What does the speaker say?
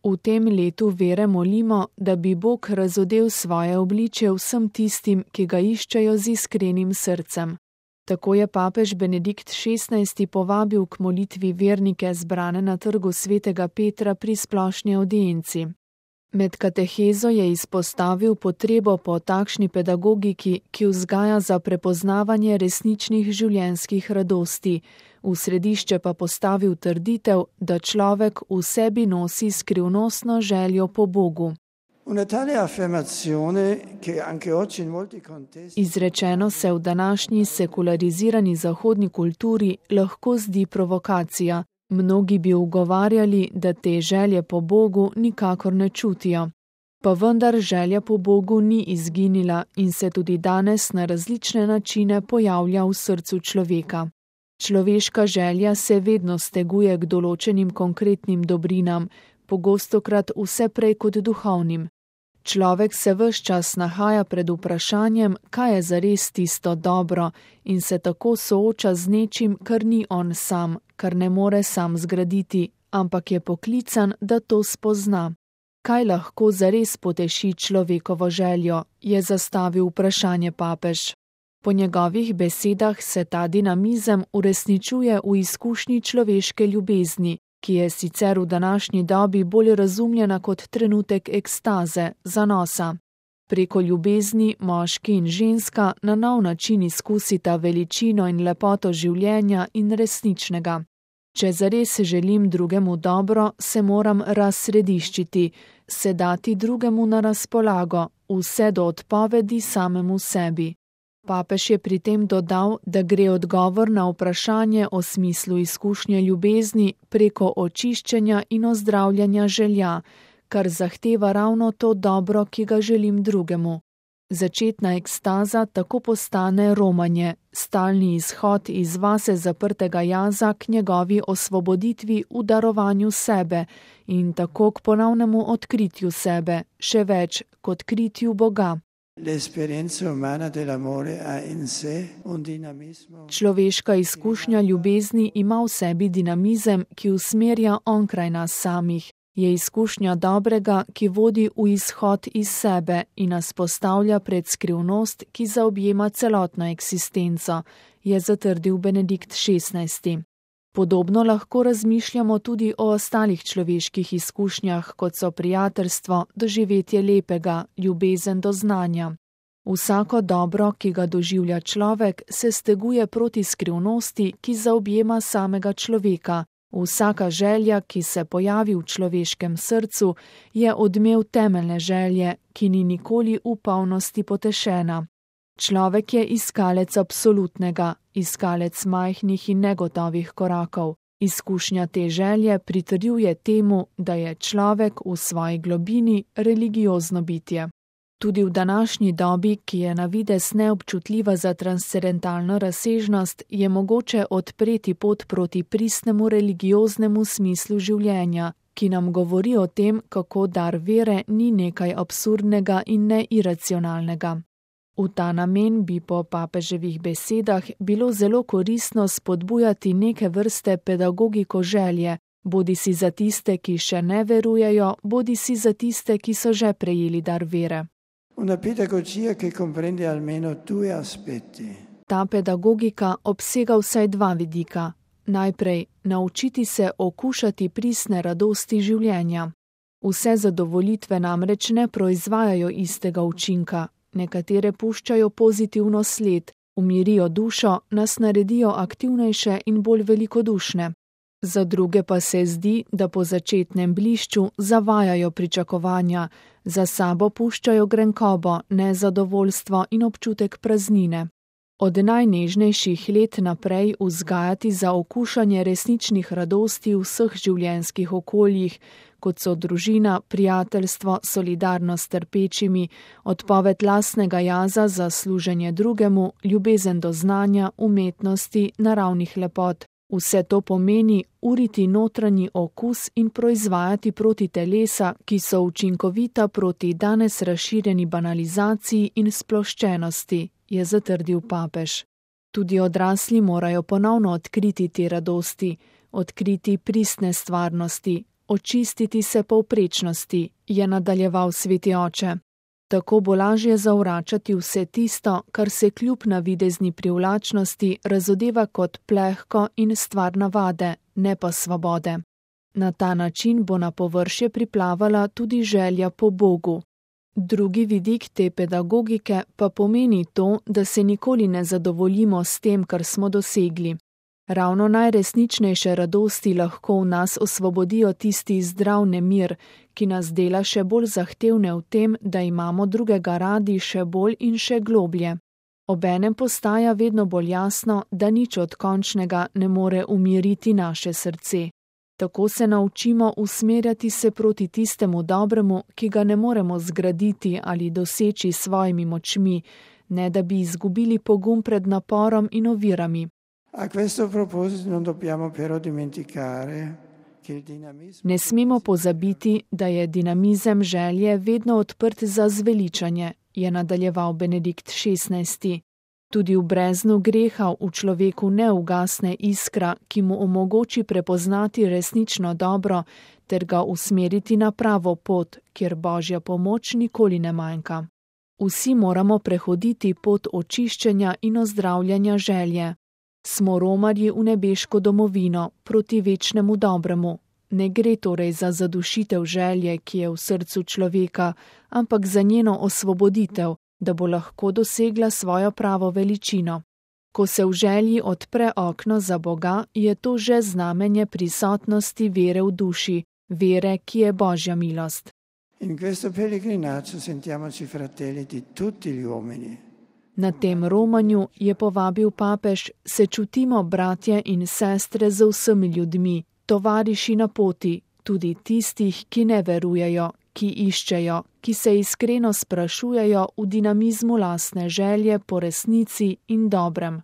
V tem letu vere molimo, da bi Bog razodel svoje obličje vsem tistim, ki ga iščejo z iskrenim srcem. Tako je papež Benedikt XVI. Povabil k molitvi vernike zbrane na trgu svetega Petra pri splošni audienci. Med katehezo je izpostavil potrebo po takšni pedagogiki, ki vzgaja za prepoznavanje resničnih življenjskih radosti, v središče pa postavil trditev, da človek v sebi nosi skrivnostno željo po Bogu. Izrečeno se v današnji sekularizirani zahodni kulturi lahko zdi provokacija. Mnogi bi ugovarjali, da te želje po Bogu nikakor ne čutijo. Pa vendar želja po Bogu ni izginila in se tudi danes na različne načine pojavlja v srcu človeka. Človeška želja se vedno steguje k določenim konkretnim dobrinam, pogostokrat vse prej kot duhovnim. Človek se ves čas nahaja pred vprašanjem, kaj je zares tisto dobro, in se tako sooča z nečim, kar ni on sam, kar ne more sam zgraditi, ampak je poklican, da to spozna. Kaj lahko zares poteši človekovo željo, je zastavil vprašanje papež. Po njegovih besedah se ta dinamizem uresničuje v izkušnji človeške ljubezni, ki je sicer v današnji dobi bolj razumljena kot trenutek ekstaze, zanosa. Preko ljubezni moški in ženska na nov način izkusita veličino in lepoto življenja in resničnega. Če zares želim drugemu dobro, se moram razsrediščiti, se dati drugemu na razpolago, vse do odpovedi samemu sebi. Papež je pri tem dodal, da gre odgovor na vprašanje o smislu izkušnje ljubezni preko očiščenja in ozdravljanja želja, kar zahteva ravno to dobro, ki ga želim drugemu. Začetna ekstaza tako postane romanje, stalni izhod iz vase zaprtega jaza k njegovi osvoboditvi v darovanju sebe in tako k ponovnemu odkritju sebe, še več, k odkritju Boga. Človeška izkušnja ljubezni ima v sebi dinamizem, ki usmerja onkraj nas samih. Je izkušnja dobrega, ki vodi v izhod iz sebe in nas postavlja pred skrivnost, ki zaobjema celotno eksistenco, je zatrdil Benedikt XVI. Podobno lahko razmišljamo tudi o ostalih človeških izkušnjah, kot so prijateljstvo, doživetje lepega, ljubezen do znanja. Vsako dobro, ki ga doživlja človek, se steguje proti skrivnosti, ki zaobjema samega človeka. Vsaka želja, ki se pojavi v človeškem srcu, je odmev temeljne želje, ki ni nikoli v polnosti potešena. Človek je iskalec absolutnega, iskalec majhnih in negotovih korakov. Izkušnja te želje pritrjuje temu, da je človek v svoji globini religiozno bitje. Tudi v današnji dobi, ki je na videz neobčutljiva za transcendentalno razsežnost, je mogoče odpreti pot proti pristnemu religioznemu smislu življenja, ki nam govori o tem, kako dar vere ni nekaj absurdnega in neiracionalnega. V ta namen bi po papeževih besedah bilo zelo koristno spodbujati neke vrste pedagogiko želje, bodisi za tiste, ki še ne verujejo, bodisi za tiste, ki so že prejeli dar vere. Una pedagogia che comprende almeno due aspetti. Ta pedagogika obsega vsaj dva vidika. Najprej, naučiti se okušati pristne radosti življenja. Vse zadovolitve namreč ne proizvajajo istega učinka. Nekatere puščajo pozitivno sled, umirijo dušo, nas naredijo aktivnejše in bolj velikodušne. Za druge pa se zdi, da po začetnem blišču zavajajo pričakovanja, za sabo puščajo grenkobo, nezadovoljstvo in občutek praznine. Od najnežnejših let naprej vzgajati za okušanje resničnih radosti v vseh življenjskih okoljih, kot so družina, prijateljstvo, solidarnost s trpečimi, odpoved lastnega jaza za služenje drugemu, ljubezen do znanja, umetnosti, naravnih lepot. Vse to pomeni uriti notranji okus in proizvajati proti telesa, ki so učinkovita proti danes razširjeni banalizaciji in sploščenosti, je zatrdil papež. Tudi odrasli morajo ponovno odkriti te radosti, odkriti pristne stvarnosti, očistiti se povprečnosti, je nadaljeval sveti oče. Tako bo lažje zavračati vse tisto, kar se kljub navidezni privlačnosti razodeva kot plehko in stvar navade, ne pa svobode. Na ta način bo na površje priplavala tudi želja po Bogu. Drugi vidik te pedagogike pa pomeni to, da se nikoli ne zadovoljimo s tem, kar smo dosegli. Ravno najresničnejše radosti lahko v nas osvobodijo tisti zdrav nemir, ki nas dela še bolj zahtevne v tem, da imamo drugega radi še bolj in še globlje. Obenem postaja vedno bolj jasno, da nič od končnega ne more umiriti naše srce. Tako se naučimo usmerjati se proti tistemu dobremu, ki ga ne moremo zgraditi ali doseči s svojimi močmi, ne da bi izgubili pogum pred naporom in ovirami. A questo proposito non dobbiamo però dimenticare che il dinamismo... Ne smemo pozabiti, da je dinamizem želje vedno odprt za zveličanje, je nadaljeval Benedikt XVI. Tudi v breznu greha v človeku ne ugasne iskra, ki mu omogoči prepoznati resnično dobro ter ga usmeriti na pravo pot, kjer Božja pomoč nikoli ne manjka. Vsi moramo prehoditi pot očiščenja in ozdravljanja želje. Smo romarji v nebeško domovino, proti večnemu dobremu. Ne gre torej za zadušitev želje, ki je v srcu človeka, ampak za njeno osvoboditev, da bo lahko dosegla svojo pravo veličino. Ko se v želji odpre okno za Boga, je to že znamenje prisotnosti vere v duši, vere, ki je Božja milost. In questo pellegrinaggio sentiamoci fratelli di tutti gli uomini. Na tem romanju, je povabil papež, se čutimo bratje in sestre z vsemi ljudmi, tovariši na poti, tudi tistih, ki ne verujejo, ki iščejo, ki se iskreno sprašujejo v dinamizmu lastne želje po resnici in dobrem.